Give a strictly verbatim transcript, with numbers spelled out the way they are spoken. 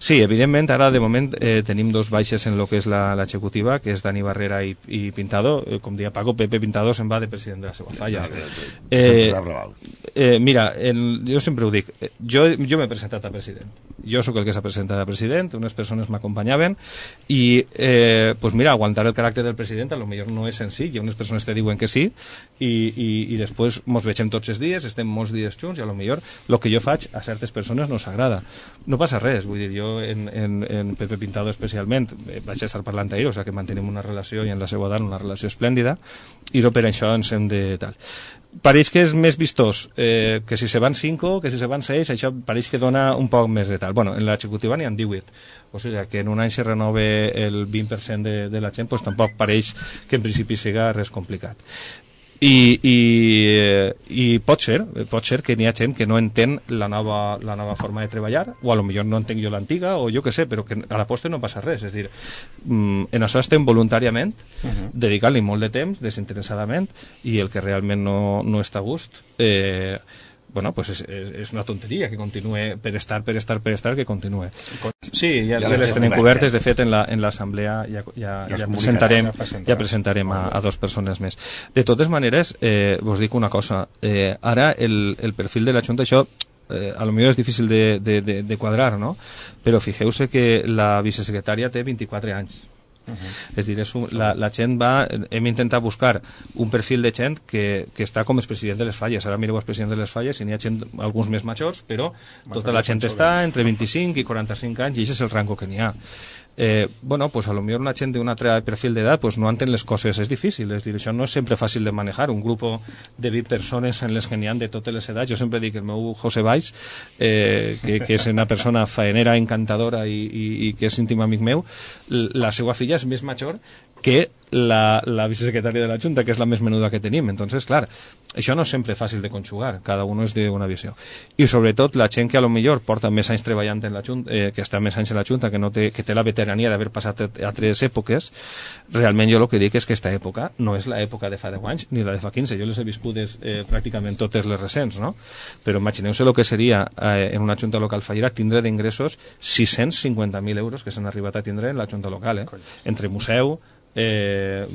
Sí, evidentment, ara de moment eh, tenim dos baixes en el que és l'executiva, que és Dani Barrera i, i Pintado. Eh, com dia Paco, Pepe Pintado se'n va de president de la seva falla. Eh, eh, mira, en, jo sempre ho dic, jo, jo m'he presentat a president. Jo sóc el que s'ha presentat a president, unes persones m'acompanyaven i, eh, pues mira, aguantar el caràcter del president a lo millor no és senzill. Hi ha unes persones que diuen que sí i, i, i després mos vegem tots els dies, estem molts dies junts i a lo millor el que jo faig a certes persones no s'agrada. No passa res, vull dir, jo en, en, en Pepe Pintado especialment vaig estar parlant ahir, o sigui que mantenim una relació i en la seva edat una relació esplèndida i no per això ens hem de tal. Pareix que és més vistós eh, que si se van cinco, que si se van seis, això pareix que dona un poc més de tal. Bueno, en l'executiva n'hi ha divuit, o sigui que en un any se renove el vint per cent de, de la gent, pues tampoc pareix que en principi siga res complicat. I, i, i pot ser, pot ser que n'hi ha gent que no entén la nova, la nova forma de treballar, o a lo millor no entenc jo l'antiga, o jo que sé, però que a la posta no passa res. És a dir, en això estem voluntàriament, uh-huh. dedicant-li molt de temps, desinteressadament, i el que realment no, no està a gust, eh, bueno, pues és, és, és una tonteria que continue per estar, per estar, per estar, que continue. Sí, ja, ja les tenim cobertes, de fet en l'assemblea ja, ja, ja, ja, presentarem, ja presentarem a, a dos persones més. De totes maneres, eh, vos dic una cosa, eh, ara el, el perfil de la Junta, això eh, a lo millor és difícil de, de, de, de quadrar, no? Però fixeu-se que la vicesecretària té vint-i-quatre anys. Uh-huh. És dir, és un, la, la gent va, hem intentat buscar un perfil de gent que, que està com el president de les falles. Ara mireu el president de les falles i n'hi ha gent, alguns més majors, però tota la gent està entre vint-i-cinc i quaranta-cinc anys i aquest és el rango que n'hi ha. Eh, bueno, pues a lo millor una gent d'un altre perfil d'edat pues no entén les coses, és difícil, és dir, això no és sempre fàcil de manejar, un grup de vint persones en les que n'hi ha de totes les edats. Jo sempre dic, el meu José Valls, eh, que, que és una persona faenera, encantadora i, i, i que és íntim amic meu, la seva filla és més major que la, la vicesecretària de la Junta, que és la més menuda que tenim. Entonces, clar, això no és sempre fàcil de conjugar, cada un és d'una visió. I sobretot la gent que a lo millor porta més anys treballant en la Junta, eh, que està més anys en la Junta, que, no té, que té la veterania d'haver passat a altres èpoques, realment jo el que dic és que aquesta època no és l'època de fa deu anys ni la de fa quinze. Jo les he viscudes eh, pràcticament totes les recents, no? Però imagineu-se el que seria eh, en una Junta local fallera tindre d'ingressos sis-cents cinquanta mil euros que s'han arribat a tindre en la Junta local, eh? Entre museu, Eh,